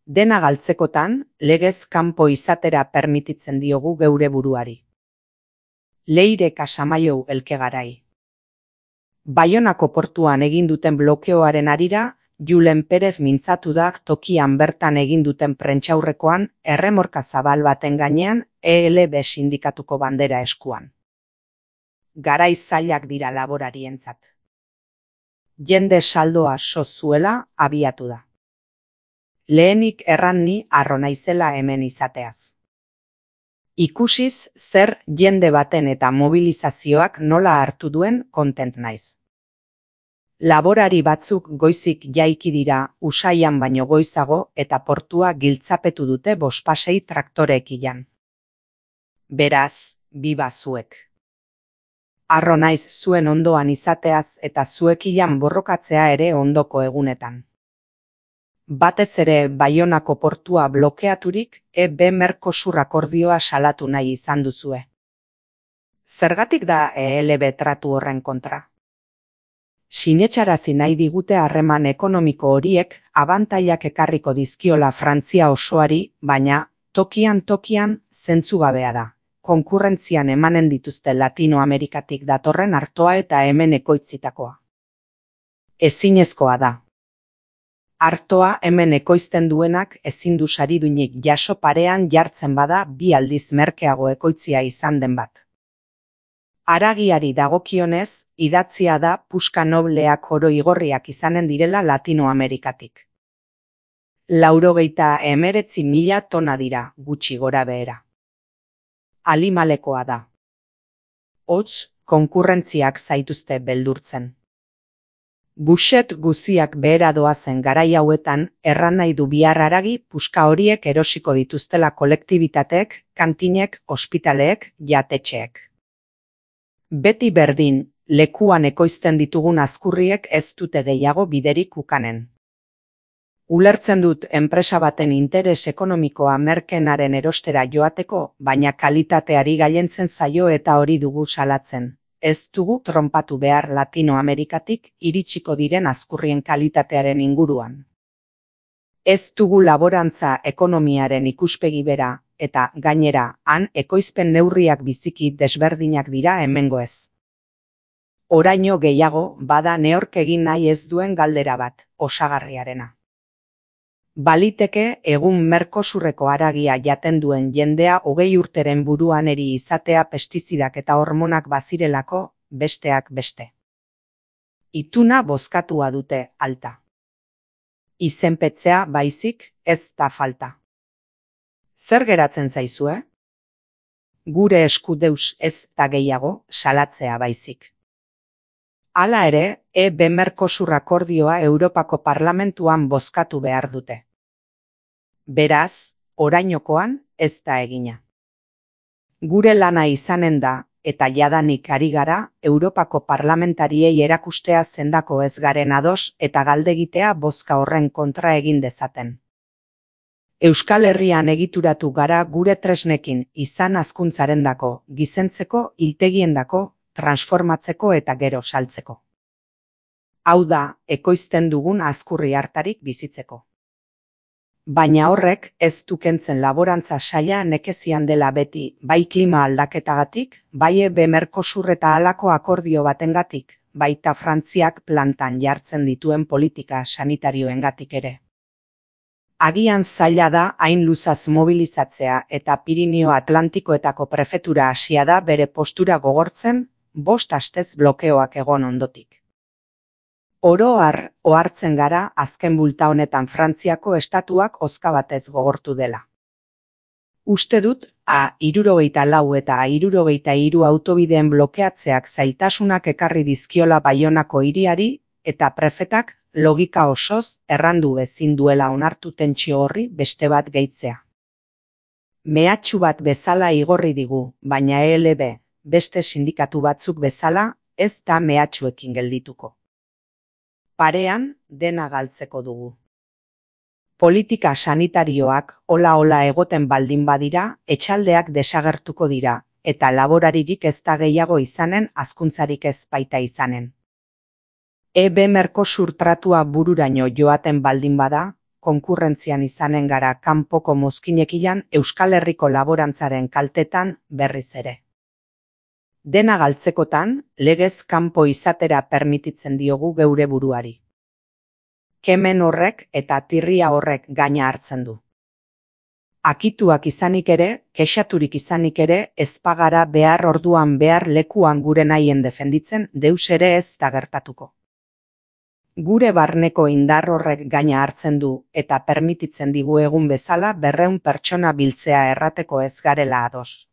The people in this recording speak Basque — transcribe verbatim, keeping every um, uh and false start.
Dena galtzekotan, legez kanpo izatera permititzen diogu geure buruari. Leire Casamaiou Elkegarai. Baionako portuan egin duten blokeoaren harira, Julen Perez mintzatu da tokian bertan egin duten prentsaurrekoan erremorka zabal baten gainean E L B sindikatuko bandera eskuan. Garai zailak dira laborarientzat. Jende saldoa so zuela abiatu da. Lehenik erran ni harro naizela hemen izateaz. Ikusiz zer jende baten eta mobilizazioak nola hartu duen kontent naiz. Laborari batzuk goizik jaiki dira Usaian baino goizago eta portua giltzapetu dute bospasei traktoreekilan. Beraz, biba zuek. Harro naiz zuen ondoan izateaz eta zuekilan borrokatzea ere ondoko egunetan. Batez ere Baionako portua blokeaturik E B Mercosur akordioa salatu nahi izan duzue. Zergatik da E L B tratu horren kontra? Sinetxarazi nahi digute harreman ekonomiko horiek abantailak ekarriko dizkiola Frantzia osoari, baina tokian tokian zentzugabea da. Konkurrentzian emanen dituzte Latinoamerikatik datorren artoa eta hemen ekoitzitakoa. Ezinezkoa da. Artoa hemen ekoizten duenak ezin du sariduinik jaso parean jartzen bada bi aldiz merkeago ekoitzia izan den bat. Haragiari dagokionez, idatzia da puska nobleak oro igorriak izanen direla Latinoamerikatik. Laurogeita hemeretzi mila tona dira, gutxi gora behera. Alimalekoa da. Hots, konkurrentziak zaituzte beldurtzen. Buxet guziak behera doazen garai hauetan, erran nahi du bihar haragi puska horiek erosiko dituztela kolektibitateek, kantinek, ospitaleek, jatetxeek. Beti berdin, lekuan ekoizten ditugun azkurriek ez dute gehiago biderik ukanen. Ulertzen dut enpresa baten interes ekonomikoa merkenaren erostera joateko, baina kalitateari gailentzen zaio eta hori dugu salatzen. Ez dugu tronpatu behar Latinoamerikatik iritsiko diren azkurrien kalitatearen inguruan. Ez dugu laborantza ekonomiaren ikuspegi bera, eta gainera, han ekoizpen neurriak biziki desberdinak dira hemengo ez. Oraino gehiago, bada neork egin nahi ez duen galdera bat, osagarriarena. Baliteke egun Mercosurreko haragia jaten duen jendea hogei urteren buruan eri izatea pestizidak eta hormonak bazirelako, besteak beste. Ituna bozkatua dute alta. Izenpetzea baizik ez da falta. Zer geratzen zaizue? Gure esku deus ez da gehiago salatzea baizik. Hala ere, E B Mercosur akordioa Europako Parlamentuan bozkatu behar dute. Beraz, orainokoan ez da egina. Gure lana izanen da, eta jadanik ari gara, Europako parlamentariei erakustea zendako ez garen ados eta galdegitea bozka horren kontra egin dezaten. Euskal Herrian egituratu gara gure tresnekin izan hazkuntzarendako, gizentzeko, hiltegiendako, transformatzeko eta gero saltzeko. Hau da, ekoizten dugun azkurri hartarik bizitzeko. Baina horrek ez du kentzen laborantza saila nekezian dela beti, bai klima aldaketagatik, bai E B Mercosur eta halako akordio batengatik, baita Frantziak plantan jartzen dituen politika sanitarioengatik ere. Agian zaila da hain luzaz mobilizatzea eta Pirinio Atlantikoetako prefetura hasia da bere postura gogortzen, bost astez blokeoak egon ondotik. Oro har ohartzen gara azken bulta honetan Frantziako estatuak hozka batez gogortu dela. Uste dut, A hirurogeita lau eta A hirurogeita hiru autobideen blokeatzeak zailtasunak ekarri dizkiola Baionako hiriari eta prefetak logika osoz errandu ezin duela onartu tentsio horri beste bat gehitzea. Mehatxu bat bezala igorri digu, baina E L B, beste sindikatu batzuk bezala, ez da mehatxuekin geldituko. Parean dena galtzeko dugu. Politika sanitarioak hola-hola egoten baldin badira, etxaldeak desagertuko dira, eta laboraririk ez da gehiago izanen, hazkuntzarik ez baita izanen. E B Mercosur tratua bururaino joaten baldin bada, konkurrentzian izanen gara kanpoko mozkinekilan Euskal Herriko laborantzaren kaltetan berriz ere. Dena galtzekotan, legez kanpo izatera permititzen diogu geure buruari. Kemen horrek eta tirria horrek gaina hartzen du. Akituak izanik ere, kexaturik izanik ere, ez bagara behar orduan behar lekuan gure nahien defenditzen, deus ere ez da gertatuko. Gure barneko indar horrek gaina hartzen du eta permititzen digu egun bezala berrehun pertsona biltzea errateko ez garela ados.